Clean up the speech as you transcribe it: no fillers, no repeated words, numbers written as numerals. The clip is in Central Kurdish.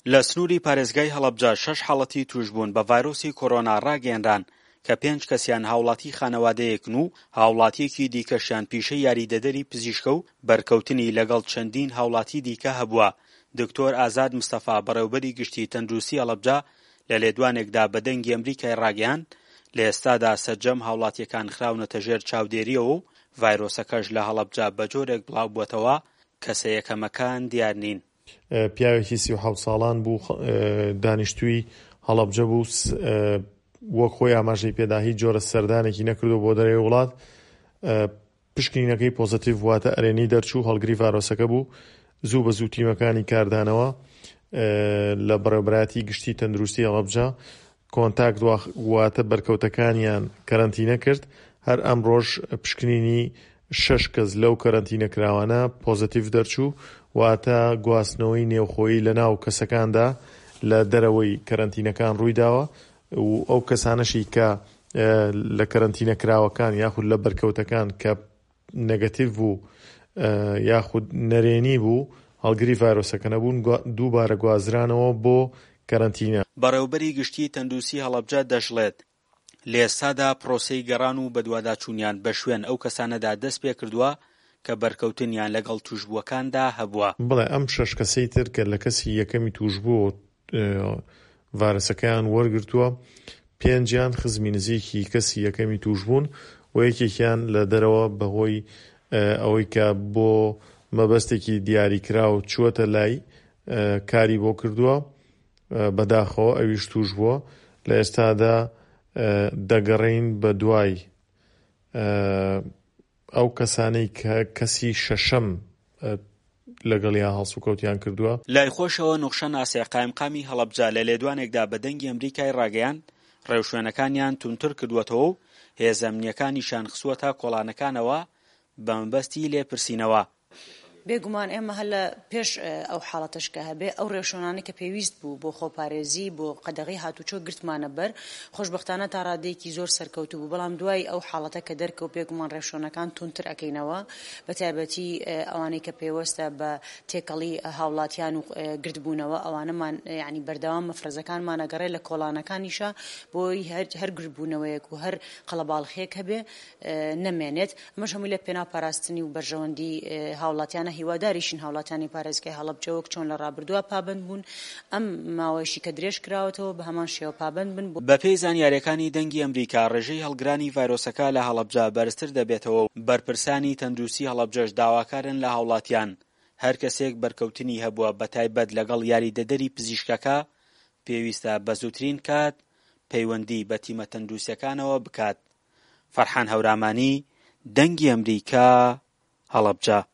لە سنووری پارێزگای هەڵەبجە شەش حاڵەتی تووشبوون بە ڤایرۆسی کۆرۆنا ڕاگەیەنران کە پێنج کەسیان هاوڵاتی خانەوادەیەکن و هاوڵاتییەکی دیکەشیان پیشەی یاریدەدەری پزیشکە و بەرکەوتنی لەگەڵ چەندین هاوڵاتی دیکە هەبووە. دکتۆر ئازاد مستەفا بەڕێوبەری گشتی تەندروستی هەڵەبجە لە لێدوانێکدا بە دەنگی ئەمریکای ڕاگەیاند، لە ئێستادا سەرجەم هاوڵاتییەکان خراونەتە ژێر چاودێرییەوە و ڤایرۆسەکەش لە هەڵەبجە بەجۆرێک بڵاوبووەتەوە کەسە یەکەمەکان دیار نین. پیاوێکی 37 ساڵان بوو دانیشتووی هەڵەبجە بوو وەک خۆی ئاماژەی پێدا هیچ جۆرە سەردانێکی نەکردو بۆ دەرەوەی وڵات پشکنینەکەی پۆزەتیڤ واتە ئەرێنی دەرچوو هەڵگری ڤایرۆسەکە بوو زوو بە زوو تیمەکانی کاردانەوە لە بەڕێوەبەرایەتی گشتی تەندروستی هەڵەبجە کۆنتاکت واتە بەرکەوتەکانیان کەرەنتینە کرد، هەر ئەمڕۆش پشکنینی شەش کەس لەو کەرەنتینەکراوانە پۆزەتیڤ دەرچوو، واتە گواستنەوەی نێوخۆیی لەناو کەسەکاندا لە دەرەوەی کەرەنتینەکان ڕوویداوە و ئەو کەسانەشی کە لە کەرەنتینەکراوەکان یاخود لە بەرکەوتەکان کە نێگەتیڤ بوو یاخود نەرێنی بوو هەڵگری ڤایرۆسەکە نەبوون دووبارە گوازرانەوە بۆ کەرەنتینە. بەڕێوەبەری گشتیی تەندروستی هەڵەبجە دەشڵێت، لە ئێستادا پرۆسەی گەڕان و بەدواداچوونیان بەشوێن ئەو کەسانەدا دەستپێکردووە کە بەرکەوتنیان لەگەڵ تووشبووەکاندا هەبووە. بەڵێ ئەم شەش کەسەی تر کە لە کەسی یەکەمی تووشبوو ڤایرەسەکەیان وەرگرتووە، پێنجیان خزمی نزیکی کەسی یەکەمی تووشبوون و یەکێکیان لە دەرەوە بەهۆی ئەوەی کە بۆ مەبەستێکی دیاریکراو چووەتە لای کاری بۆ کردووە، بەداخەوە ئەویش تووش بووە. لە ئێستادا دەگەڕێین بە دوای ئەو کەسانەی کە کەسی شەشەم لەگەڵیا هەڵسوکەوتیان کردووە. لای خۆشەوە نوخشە ناسیح قایمقامی هەڵەبجە لە لێدوانێکدا بە دەنگی ئەمریکای ڕاگەیاند، ڕێوشوێنەکانیان توندتر کردووەتەوە و هێزە ئەمنییەکانیشیان خستووەتە کۆڵانەکانەوە بەمەبەستی لێپرسینەوە. بێگومان ئێمە هەر لە پێش ئەو حاڵەتەش کە هەبێ ئەو ڕێوشوێنانەی کە پێویست بوو بۆ خۆپارێزی بۆ قەدەغەی هاتوچۆ گرتمانە بەر، خۆشبەختانە تا ڕادەیەکی زۆر سەرکەوتوو بوو، بەڵام دوای ئەو حاڵەتە کە دەرکەوت بێگومان ڕێوشوێنەکان توندتر ئەکەینەوە بە تایبەتی ئەوانەی کە پەیوەستە بە تێکەڵی هاوڵاتیان و گردبوونەوە ئەوانەمان یانی بەردەوام مەفرەزەکانمان ئەگەڕێ لە کۆڵانەکانیشا بۆی هەر گردبوونەوەیەک و هەر قەڵەباڵخیەک هەبێ نەمێنێت، ئەمەش هەمووی لە پێناو پاراستنی و بەرژەوەندی هاوڵاتیانە، هیواداریشین هاوڵاتیانی پارێزگای هەڵەبجە وەک چۆن لە ڕابردووە پابەند بوون، ئەم ماوەیەشی کە درێژ کراوەتەوە بە هەمان شێوە پابەند بن. بەپێی زانیارییەکانی دەنگی ئەمریکا، ڕێژەی هەڵگرانی ڤایرۆسەکە لە هەڵەبجە بەرزتر دەبێتەوە و بەرپرسانی تەندروستی هەڵەبجەش داواکارن لە هاوڵاتیان هەر کەسێک بەرکەوتنی هەبووە بەتایبەت لەگەڵ یاریدەدەری پزیشکەکە پێویستە بەزووترین کات پەیوەندی بە تیمە تەندروستیەکانەوە بکات. فەرحان هەورامانی، دەنگی ئەمریکا، هەڵەبجە.